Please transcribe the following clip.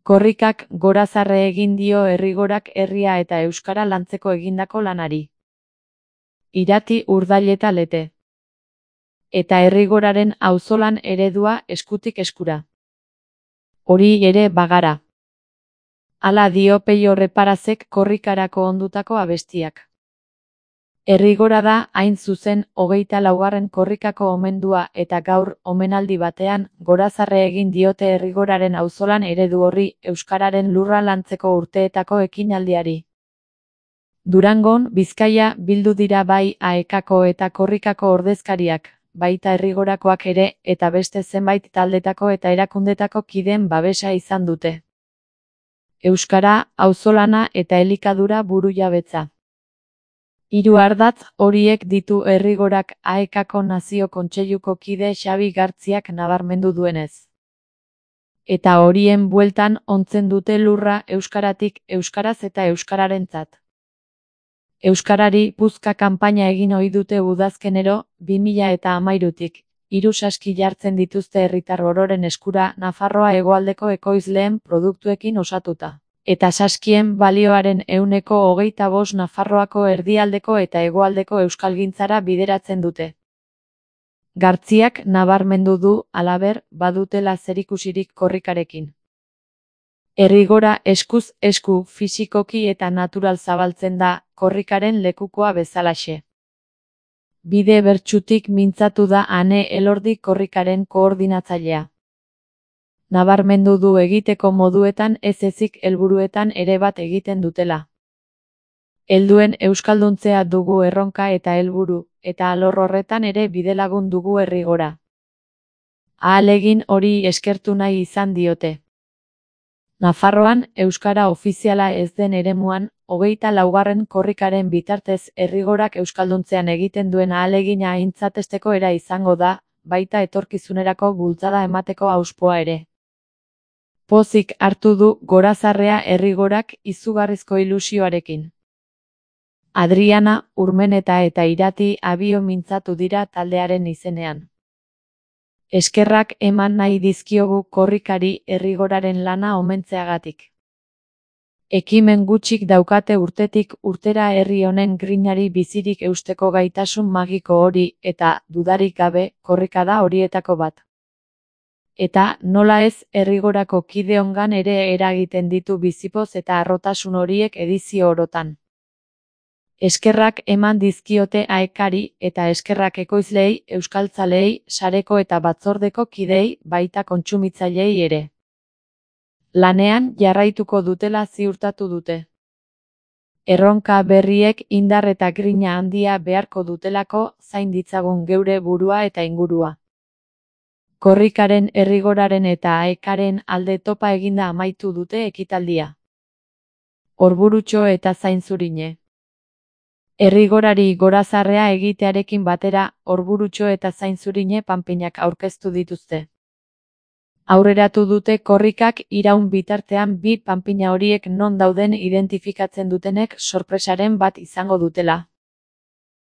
Korrikak gorazarre egin dio Errigorak herria eta euskara lantzeko egindako lanari. Irati Urdaileta Lete. Eta Errigoraren auzolan eredua eskutik eskura. Hori ere bagara. Hala dio Peio Reparazek korrikarako ondutako abestiak. Errigora da, hain zuzen, 24. korrikako omendua eta gaur, omenaldi batean, gorazarre egin diote Errigoraren auzolan eredu horri euskararen lurra lantzeko urteetako ekinaldiari. Durangon, Bizkaia bildu dira bai AEKako eta korrikako ordezkariak, baita Errigorakoak ere, eta beste zenbait taldetako eta erakundetako kideen babesa izan dute. Euskara, auzolana eta elikadura burujabetza. 3 ardatz horiek ditu Errigorak AEKako Nazio Kontseiluko kide Xabi Gartziak nabarmendu duenez. Eta horien bueltan ontzen dute lurra euskaratik euskaraz eta euskararentzat. Euskarari puzka kanpaina egin ohi dute udazkenero, 2013tik, 3 saski jartzen dituzte herritar ororen eskura Nafarroa hegoaldeko ekoizleen produktuekin osatuta. Eta saskien balioaren 25% Nafarroako erdialdeko eta hegoaldeko euskalgintzara bideratzen dute. Gartziak nabarmendu du, halaber, badutela zerikusirik korrikarekin. Errigora eskuz esku fisikoki eta natural zabaltzen da, korrikaren lekukoa bezalaxe. Bide bertsutik mintzatu da Ane Elordi korrikaren koordinatzailea. Nabarmendu du egiteko moduetan ez ezik helburuetan ere bat egiten dutela. Helduen euskalduntzea dugu erronka eta helburu, eta alor horretan ere bidelagun dugu Errigora. Ahalegin hori eskertu nahi izan diote. Nafarroan, euskara ofiziala ez den eremuan, 24. korrikaren bitartez Errigorak euskalduntzean egiten duen ahalegina aintzatesteko era izango da, baita etorkizunerako bultzada emateko auspoa ere. Pozik hartu du gorazarrea Errigorak izugarrizko ilusioarekin. Adriana, Urmeneta eta Irati abio mintzatu dira taldearen izenean. Eskerrak eman nahi dizkiogu korrikari Errigoraren lana omentzeagatik. Ekimen gutxik daukate urtetik urtera herri honen grinari bizirik eusteko gaitasun magiko hori eta, dudarik gabe, korrika da horietako bat. Eta, nola ez, Errigorako kideongan ere eragiten ditu bizipoz eta harrotasun horiek edizio orotan. Eskerrak eman dizkiote AEKari eta eskerrak ekoizleei, euskaltzaleei, sareko eta batzordeko kideei, baita kontsumitzaileei ere. Lanean jarraituko dutela ziurtatu dute. Erronka berriek indar eta grina handia beharko dutelako zain ditzagun geure burua eta ingurua. Korrikaren Errigoraren eta AEKaren alde topa eginda amaitu dute ekitaldia. Orburutxo eta Zainzurine. Errigorari gorazarrea egitearekin batera, Orburutxo eta Zainzurine panpinak aurkeztu dituzte. Aurreratu dute korrikak iraun bitartean bi panpina horiek non dauden identifikatzen dutenek sorpresaren bat izango dutela.